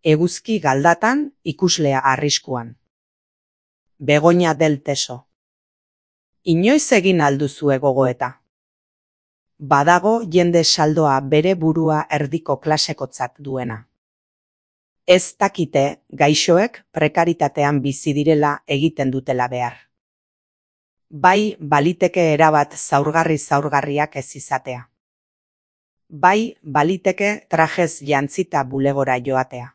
Eguzki galdatan, ikuslea arriskuan. Begoña del Teso. Inoiz egin alduzue gogoeta. Badago jende saldoa bere burua erdiko klasekotzat duena. Ez dakite gaixoek prekaritatean bizi direla egiten dutela behar. Bai baliteke erabat zaurgarriak ez izatea. Bai baliteke trajez jantzita bulegora joatea.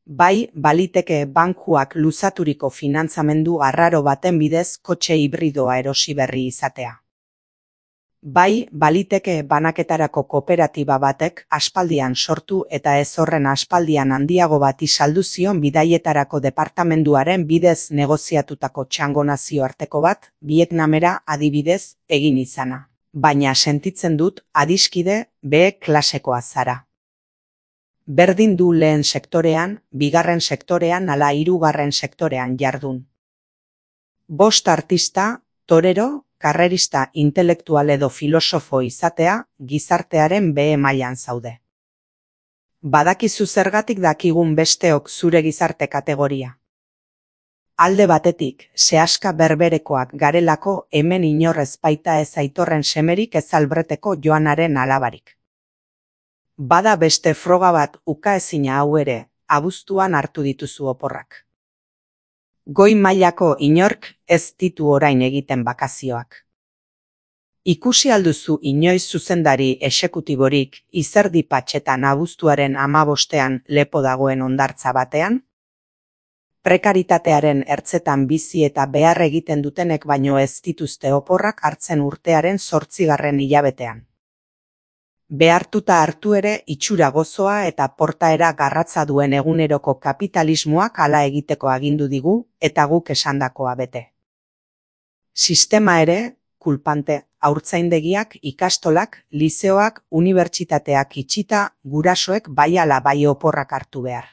Bai baliteke bankuak luzaturiko finantzamendu arraro baten bidez kotxe hibridoa erosi berri izatea. Bai baliteke banaketarako kooperatiba batek aspaldian sortu eta ez horren aspaldian handiago bati saldu zion bidaietarako departamenduaren bidez negoziatutako txango nazioarteko bat Vietnamera adibidez egin izana. Baina sentitzen dut adiskide B klasekoa zara. Berdin du lehen sektorean, bigarren sektorean ala hirugarren sektorean jardun. 5 artista, torero, karrerista intelektual edo filosofo izatea gizartearen B mailan zaude. Badakizu zergatik dakigun besteok zure gizarte kategoria. Alde batetik, sehaska berberekoak garelako hemen inorrez baita ez Aitorren semerik ez Albreteko Joanaren alabarik. Bada beste froga bat ukaezina hau ere, abuztuan hartu dituzu oporrak. Goi mailako inork ez ditu orain egiten bakazioak. Ikusi alduzu inoiz zuzendari exekutiborik Izerdi Patxetan abuztuaren 15ean lepo dagoen hondartza batean? Prekaritatearen ertzetan bizi eta behar egiten dutenek baino ez dituzte oporrak hartzen urtearen 8. hilabetean. Behartuta hartu ere itxura gozoa eta portaera garratza duen eguneroko kapitalismoak hala egiteko agindu digu eta guk esandakoa bete. Sistema ere, kulpante, haurtzaindegiak, ikastolak, lizeoak, unibertsitateak itxita, gurasoek bai ala bai oporrak hartu behar.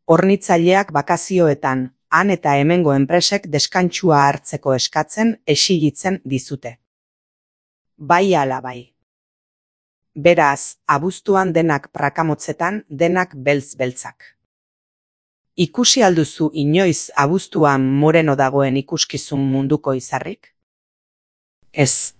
Hornitzaileak bakazioetan, han eta hemengo enpresek deskantsua hartzeko eskatzen exilitzen dizute. Bai ala bai. Beraz, abuztuan denak prakamotzetan, denak beltz-beltzak. Ikusi alduzu inoiz abuztuan moreno dagoen ikuskizun munduko izarrik? Ez.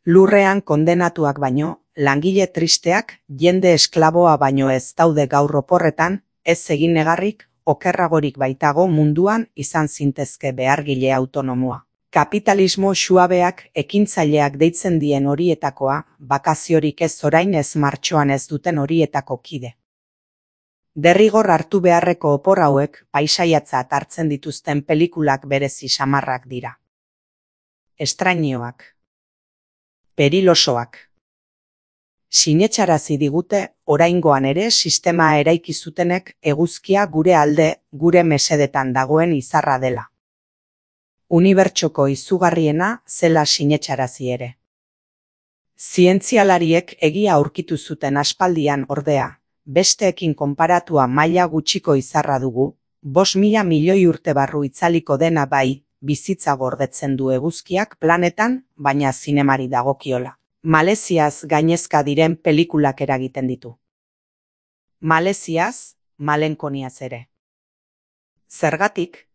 Lurrean kondenatuak baino, langile tristeak, jende esklaboa baino ez daude gaur oporretan, ez egin negarrik, okerragorik baitago munduan izan zintezke behargile autonomoa. Kapitalismo suabeak ekintzaileak deitzen dien horietakoa, bakaziorik ez orain ez martxoan ez duten horietako kide. Derrigor hartu beharreko opor hauek paisaiatzat hartzen dituzten pelikulak berezi samarrak dira. Estrainioak. Perilosoak. Sinetxarazi digute, oraingoan ere sistema eraiki zutenek eguzkia gure alde, gure mesedetan dagoen izarra dela. Unibertsoko izugarriena zela sinetxarazi ere. Zientzialariek egia aurkitu zuten aspaldian ordea, besteekin konparatua maila gutxiko izarra dugu, 5.000 milioi urte barru itzaliko dena bai, bizitza gordetzen du eguzkiak planetan, baina zinemari dagokiola. Maleziaz gainezka diren pelikulak eragiten ditu. Maleziaz, malenkoniaz ere. Zergatik?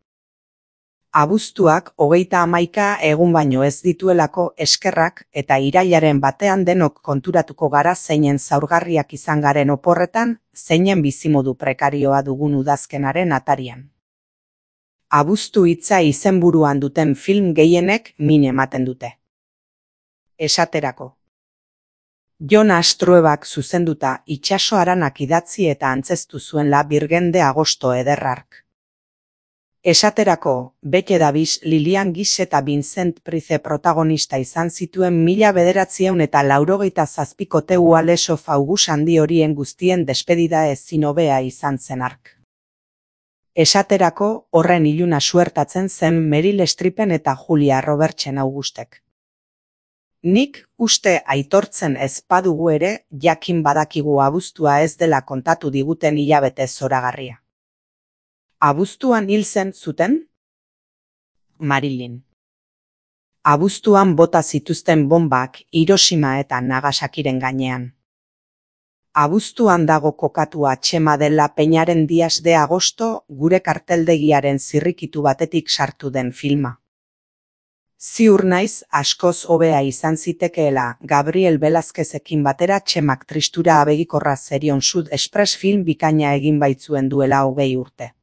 Abuztuak 31 egun baino ez dituelako eskerrak eta irailaren batean denok konturatuko gara zeinen zaurgarriak izan garen oporretan, zeinen bizimodu prekarioa dugun udazkenaren atarian. Abuztu hitza izenburuan duten film gehienek min ematen dute. Esaterako. Jon Astroebak zuzenduta itsaso haranak idatzi eta antzeztu zuenla Birgen de Agosto ederrark. Esaterako, Bete Davis, Lilian Gish eta Vincent Price protagonista izan zituen 1987ko Teuales of August handi horien guztien despedida ezin hobea izan zen hark. Esaterako, horren iluna suertatzen zen Meryl Streepen eta Julia Robertsen Augustek. Nik uste aitortzen ez badugu ere, jakin badakigu abuztua ez dela kontatu diguten hilabete zoragarria. Abuztuan hil zen zuten? Marilyn. Abuztuan bota zituzten bombak Hiroshima eta Nagasakiren gainean. Abuztuan dago kokatua Txema dela Peñaren Dias de Agosto gure karteldegiaren zirrikitu batetik sartu den filma. Ziur naiz askoz hobea izan zitekeela Gabriel Velázquezekin batera Txemak tristura abegikorra Zerion Sud Express film bikaina egin baitzuen duela 20 urte.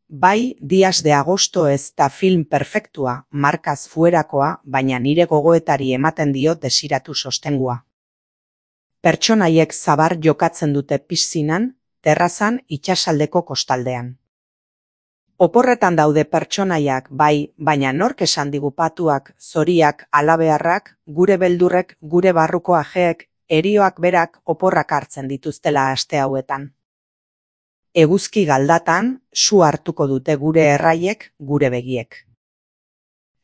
Bai, Dias de Agosto ez da film perfektua, markaz fuerakoa, baina nire gogoetari ematen dio desiratu sostengua. Pertsonaiek zabar jokatzen dute piszinan, terrazan, itsasaldeko kostaldean. Oporretan daude pertsonaiak bai, baina nork esan digu patuak, zoriak, alabeharrak, gure beldurrek, gure barruko ajeek, erioak berak oporrak hartzen dituztela aste hauetan. Eguzki galdatan, su hartuko dute gure erraiek, gure begiek.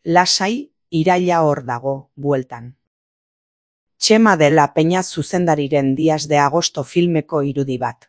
Lasai, iraila hor dago, bueltan. Txema dela Peña zuzendariren Dias de Agosto filmeko irudi bat.